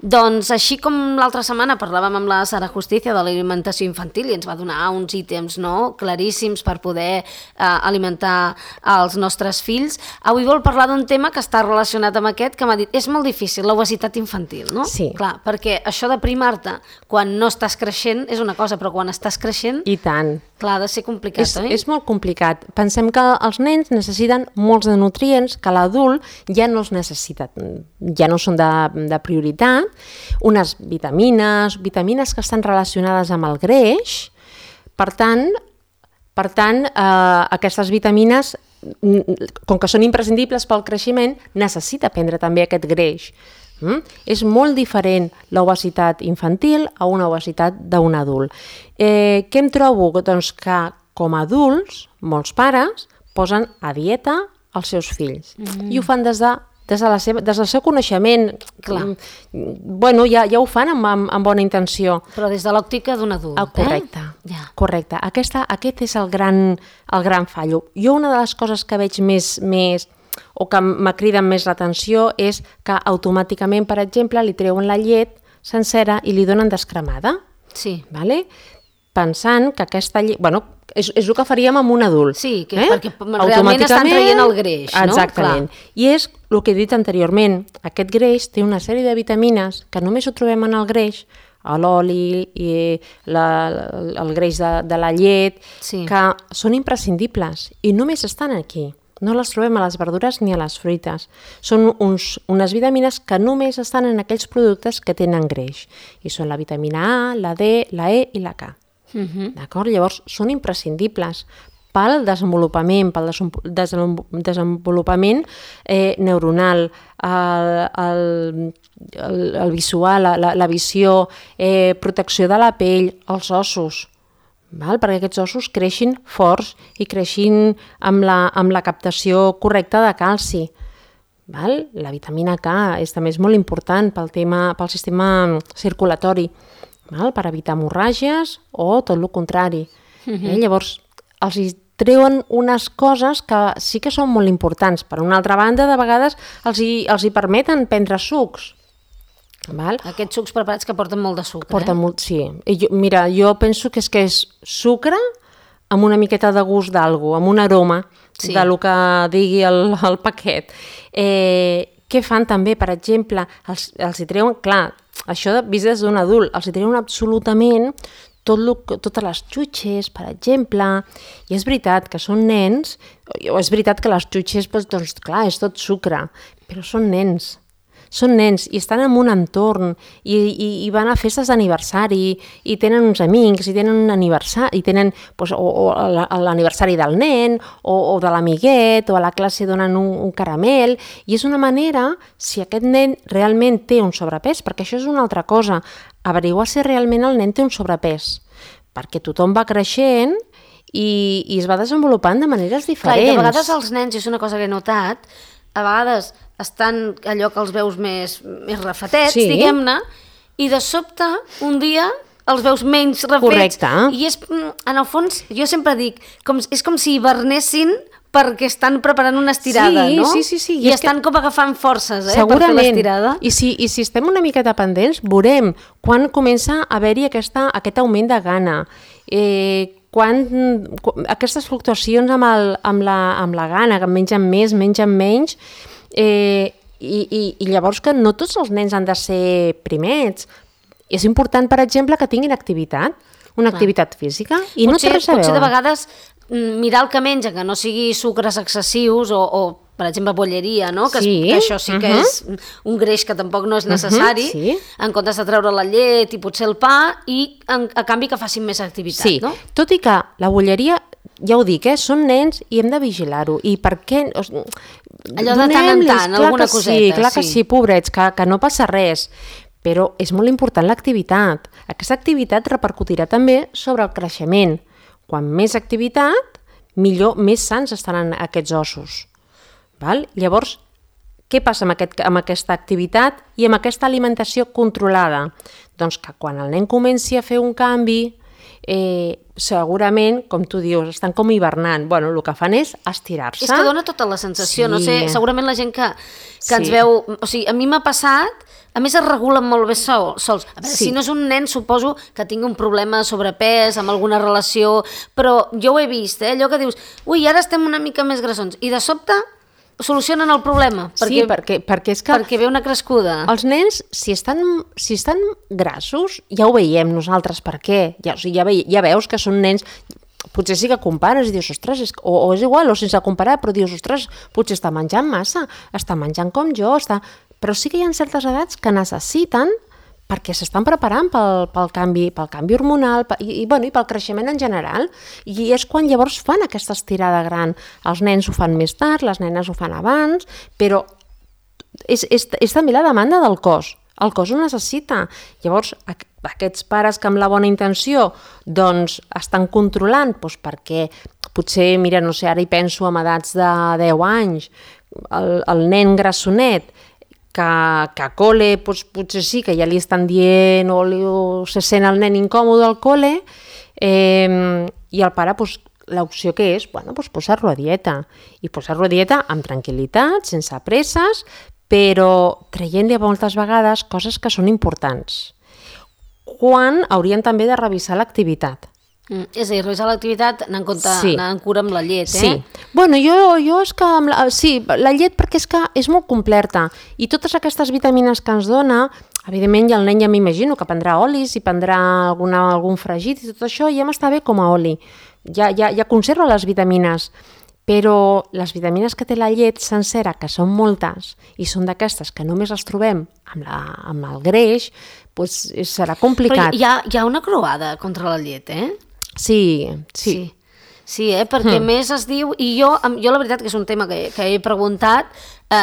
Doncs així com l'altra setmana parlàvem amb la Sara Justicia de l'alimentació infantil i ens va donar uns ítems claríssims per poder alimentar els nostres fills, avui vol parlar d'un tema que està relacionat amb aquest, que m'ha dit, és molt difícil, l'obesitat infantil, no? Sí. Clar, perquè això de primar-te quan no estàs creixent és una cosa, però quan estàs creixent... I tant. Clar, ha de ser complicat, oi? És molt complicat. Pensem que els nens necessiten molts de nutrients que l'adult ja no els necessita, ja no són de prioritat, unes vitamines que estan relacionades amb el greix. Per tant, aquestes vitamines, com que són imprescindibles pel creixement, necessita prendre també aquest greix. És molt diferent l'obesitat infantil a una obesitat d'un adult. Què em trobo? Doncs que com a adults, molts pares posen a dieta els seus fills i ho fan des del seu coneixement. Bueno, ja ho fan amb bona intenció. Però des de l'òptica d'un adult. Correcte. Aquest és el gran fallo. Jo una de les coses que veig més o que m'acriden més l'atenció és que automàticament, per exemple, li treuen la llet sencera i li donen descremada. Sí. Vale? Pensant que aquesta llet... Bueno, és el que faríem amb un adult. Sí, perquè realment estan traient el greix, no? Exactament. Clar. I és el que he dit anteriorment, aquest greix té una sèrie de vitamines que només ho trobem en el greix, a l'oli, i el greix de la llet, que són imprescindibles i només estan aquí. No les trobem a les verdures ni a les fruites. Són unes vitamines que només estan en aquells productes que tenen greix. I són la vitamina A, la D, la E i la K. D'acord? Llavors, són imprescindibles pel desenvolupament, neuronal, el visual, la visió, protecció de la pell, els ossos. Perquè aquests ossos creixin forts i creixin amb la captació correcta de calci. La vitamina K també és molt important pel sistema circulatori, per evitar hemorràgies o tot el contrari. Llavors, els treuen unes coses que sí que són molt importants. Per una altra banda, de vegades els hi permeten prendre sucs. Aquests sucs preparats que porten molt de sucre. Porten molt, sí. Jo penso que és sucre amb una miqueta de gust d'algú, amb un aroma del que digui el paquet. Què fan també, per exemple? Els hi treuen, clar, això vist des d'un adult, els hi treuen absolutament totes les xutxes, per exemple, i és veritat que són nens, o és veritat que les xutxes, doncs clar, és tot sucre, però són nens i estan en un entorn i van a festes d'aniversari i tenen uns amics i tenen un aniversari, i tenen l'aniversari del nen o de l'amiguet, o a la classe donen un caramel, i és una manera, si aquest nen realment té un sobrepès, perquè això és una altra cosa, averiguar si realment el nen té un sobrepès, perquè tothom va creixent i es va desenvolupant de maneres diferents. Clar, i de vegades els nens, és una cosa que he notat, a vegades estan allò que els veus més refetets, diguem-ne, i de sobte, un dia, els veus menys refets. Correcte. I és, en el fons, jo sempre dic, és com si hibernessin perquè estan preparant una estirada, no? Sí. I estan com agafant forces, per fer l'estirada. I si estem una miqueta pendents, veurem quan comença a haver-hi aquest augment de gana, aquestes fluctuacions amb la gana, que mengen més, mengen menys, i llavors que no tots els nens han de ser primets. És important, per exemple, que tinguin activitat, una activitat física, i no té res a veure. Potser de vegades mirar el que menja, que no sigui sucres excessius o per exemple, bolleria, no? Que això sí que és un greix que tampoc no és necessari, en comptes de treure la llet i potser el pa, i a canvi que facin més activitat, no? Tot i que la bolleria, ja ho dic, són nens i hem de vigilar-ho. I per què... Allò de tant en tant, alguna coseta. Clar que sí, pobrets, que no passa res. Però és molt important l'activitat. Aquesta activitat repercutirà també sobre el creixement. Quan més activitat, millor, més sants estaran aquests ossos. Llavors, què passa amb aquesta activitat i amb aquesta alimentació controlada? Doncs que quan el nen comenci a fer un canvi, segurament, com tu dius, estan com hivernant. Bueno, el que fan és estirar-se. És que dona tota la sensació, no sé, segurament la gent que ens Sí. veu... O sigui, a mi m'ha passat, a més es regulen molt bé sols. A veure, Sí. si no és un nen, suposo que tingui un problema de sobrepès, amb alguna relació, però jo ho he vist, allò que dius, ui, ara estem una mica més grassons, i de sobte solucionen el problema. Sí, perquè és que Perquè ve una crescuda. els nens, si estan grassos, ja ho veiem nosaltres per què. Ja, o sigui, ja veus que són nens... Potser sí que compares i dius, ostres, o és igual, o sense comparar, però dius, ostres, potser està menjant massa, està menjant com jo, però sí que hi ha certes edats que necessiten perquè s'estan preparant pel canvi hormonal i pel creixement en general, i és quan llavors fan aquesta estirada gran. Els nens ho fan més tard, les nenes ho fan abans, però és també la demanda del cos. El cos ho necessita. Llavors, aquests pares que amb la bona intenció doncs, estan controlant, doncs perquè potser, mira, no sé, ara hi penso en edats de 10 anys, el nen grassonet, que a col·le potser sí que ja li estan dient o se sent el nen incòmode al col·le, i el pare, l'opció que és, posar-lo a dieta. I posar-lo a dieta amb tranquil·litat, sense presses, però traient-li moltes vegades coses que són importants. Quan haurien també de revisar l'activitat. És a dir, revisar l'activitat anant en cura amb la llet, Sí. Bueno, jo és que... la llet perquè és que és molt completa i totes aquestes vitamines que ens dona, evidentment el nen ja m'imagino que prendrà olis i prendrà algun fregit i tot això, ja m'està bé com a oli. Ja conserva les vitamines, però les vitamines que té la llet sencera, que són moltes, i són d'aquestes que només les trobem amb el greix, doncs serà complicat. Però hi ha una croada contra la llet, Sí. Sí, perquè més es diu, i jo la veritat que és un tema que he preguntat,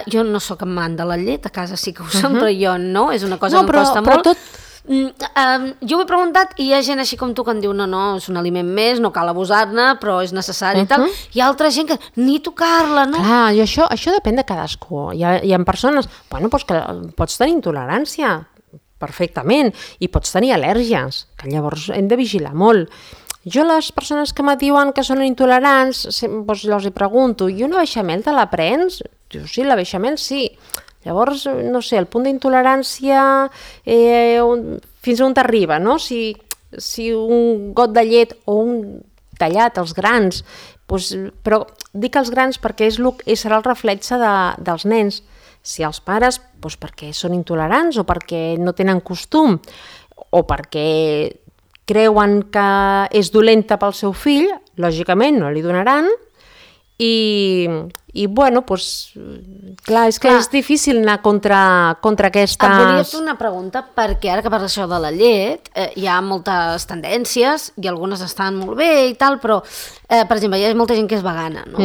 jo no sóc amant de la llet, a casa sí que ho som, però jo no, és una cosa que em costa molt. Jo ho he preguntat i hi ha gent així com tu que em diu no, és un aliment més, no cal abusar-ne, però és necessari i tal. Hi ha altra gent que ni tocar-la, no? Clar, i això depèn de cadascú. Hi ha persones, que pots tenir intolerància perfectament i pots tenir al·lèrgies, que llavors hem de vigilar molt. Jo les persones que me diuen que són intolerants, doncs els hi pregunto, i una beixamel te la prens? Diu, sí, la beixamel sí. Llavors, no sé, el punt d'intolerància fins on t'arriba, no? Si un got de llet o un tallat, els grans, doncs, però dic els grans perquè serà el reflexe dels nens. Si els pares, doncs perquè són intolerants o perquè no tenen costum o perquè creuen que és dolenta pel seu fill, lògicament no li donaran i bueno, doncs, clar, és que és difícil anar contra aquestes... Et volia fer una pregunta, perquè ara que parles això de la llet, hi ha moltes tendències i algunes estan molt bé i tal, però, per exemple, hi ha molta gent que és vegana, no?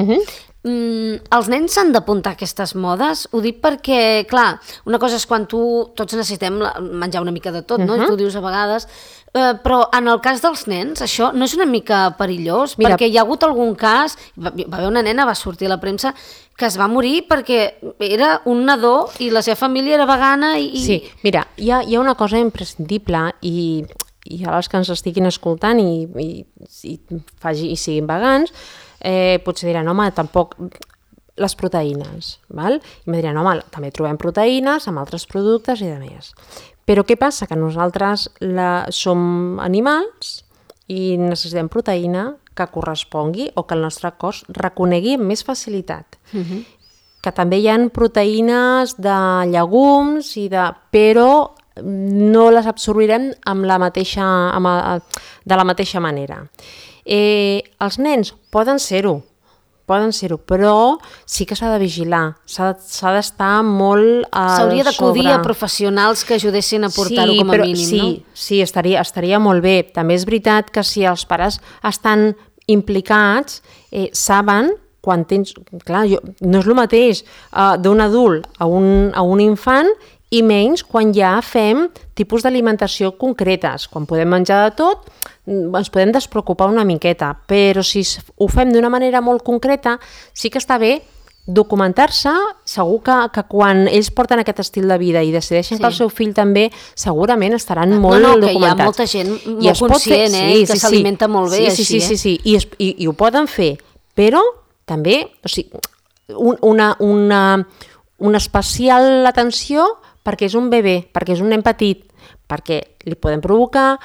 Els nens s'han d'apuntar a aquestes modes? Ho dic perquè, clar, una cosa és quan tots necessitem menjar una mica de tot, no? I tu dius a vegades... Però en el cas dels nens, això no és una mica perillós? Mira, perquè hi ha hagut algun cas, va haver una nena, va sortir a la premsa, que es va morir perquè era un nadó i la seva família era vegana i... Sí, mira, hi ha una cosa imprescindible i a les que ens estiguin escoltant i siguin vegans, potser diran, home, tampoc... les proteïnes, val? I em diran, home, també trobem proteïnes amb altres productes i de més. Però què passa? Que nosaltres som animals i necessitem proteïna que correspongui o que el nostre cos reconegui amb més facilitat. Que també hi ha proteïnes de llegums, però no les absorbirem de la mateixa manera. Els nens poden ser-ho, però sí que s'ha de vigilar, s'ha d'estar molt s'hauria d'acudir a professionals que ajudessin a portar-ho com a mínim, no? Sí, estaria molt bé. També és veritat que si els pares estan implicats, saben quan tens... Clar, no és el mateix d'un adult a un infant i menys quan ja fem tipus d'alimentació concretes. Quan podem menjar de tot, ens podem despreocupar una miqueta, però si ho fem d'una manera molt concreta, sí que està bé documentar-se, segur que quan ells porten aquest estil de vida i decideixen que el seu fill també, segurament estaran molt documentats. Que hi ha molta gent molt conscient, que s'alimenta molt bé així. Sí, i ho poden fer, però també, o sigui, una especial atenció perquè és un bebè, perquè és un nen petit, perquè li poden provocar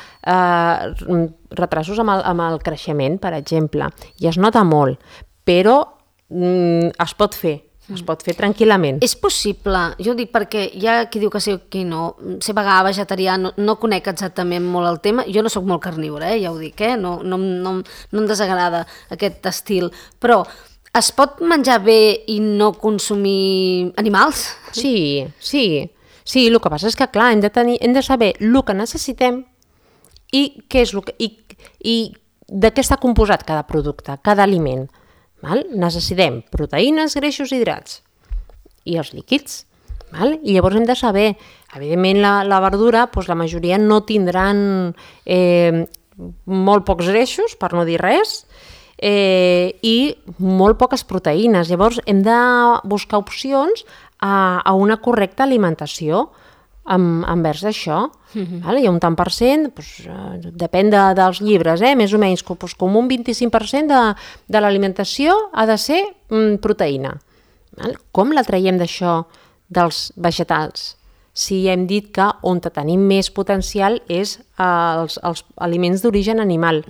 retrasos amb el creixement, per exemple, i es nota molt, però es pot fer tranquil·lament. És possible, jo dic perquè hi ha qui diu que sí o qui no, ser vegà, vegetarià, no conec exactament molt el tema, jo no sóc molt carnívora, ja ho dic, no em desagrada aquest estil, però es pot menjar bé i no consumir animals? Sí, el que passa és que, clar, hem de saber el que necessitem i què és i de què està composat cada producte, cada aliment. Necessitem proteïnes, greixos i hidrats i els líquids. I llavors hem de saber, evidentment la verdura, la majoria no tindran molt pocs greixos, per no dir res, i molt poques proteïnes. Llavors hem de buscar opcions a una correcta alimentació envers això. Hi ha un tant per cent, depèn dels llibres, més o menys, com un 25% de l'alimentació ha de ser proteïna. Com la traiem d'això dels vegetals? Si hem dit que on tenim més potencial és els aliments d'origen animal.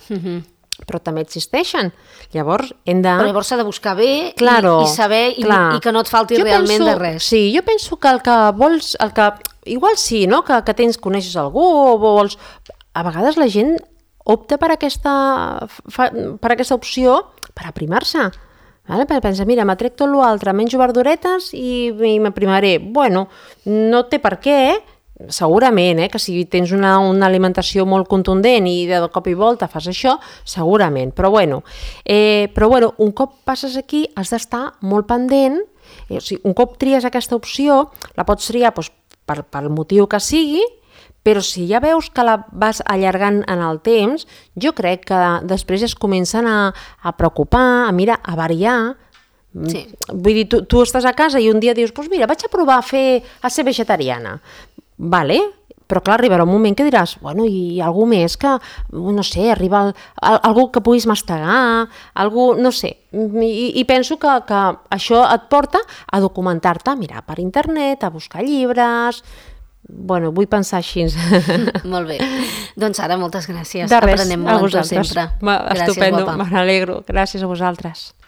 Però també existeixen. Llavors hem de... Però llavors s'ha de buscar bé i saber i que no et falti realment de res. Sí, jo penso que el que vols... Igual sí, no? Que coneixes algú o vols... A vegades la gent opta per aquesta opció per aprimar-se. Pensa, mira, m'atrec tot l'altre, menjo verduretes i m'aprimaré. Bueno, no té per què, segurament, que si tens una alimentació molt contundent i de cop i volta fas això, segurament, però bueno, un cop passes aquí has d'estar molt pendent, un cop tries aquesta opció, la pots triar pel motiu que sigui, però si ja veus que la vas allargant en el temps, jo crec que després es comencen a preocupar, a variar. Sí. Vull dir, tu estàs a casa i un dia dius, doncs mira, vaig a provar a ser vegetariana. Vale, però clar, arribarà un moment que diràs, bueno, i algú més que, no sé, arriba algú que puguis mastegar, algú, no sé, i penso que això et porta a documentar-te, a mirar per internet, a buscar llibres. Bueno, vull pensar així. Molt bé. Doncs Sara, moltes gràcies. De res, aprenem molt amb tu sempre. Estupendo, me n'alegro. Gràcies a vosaltres.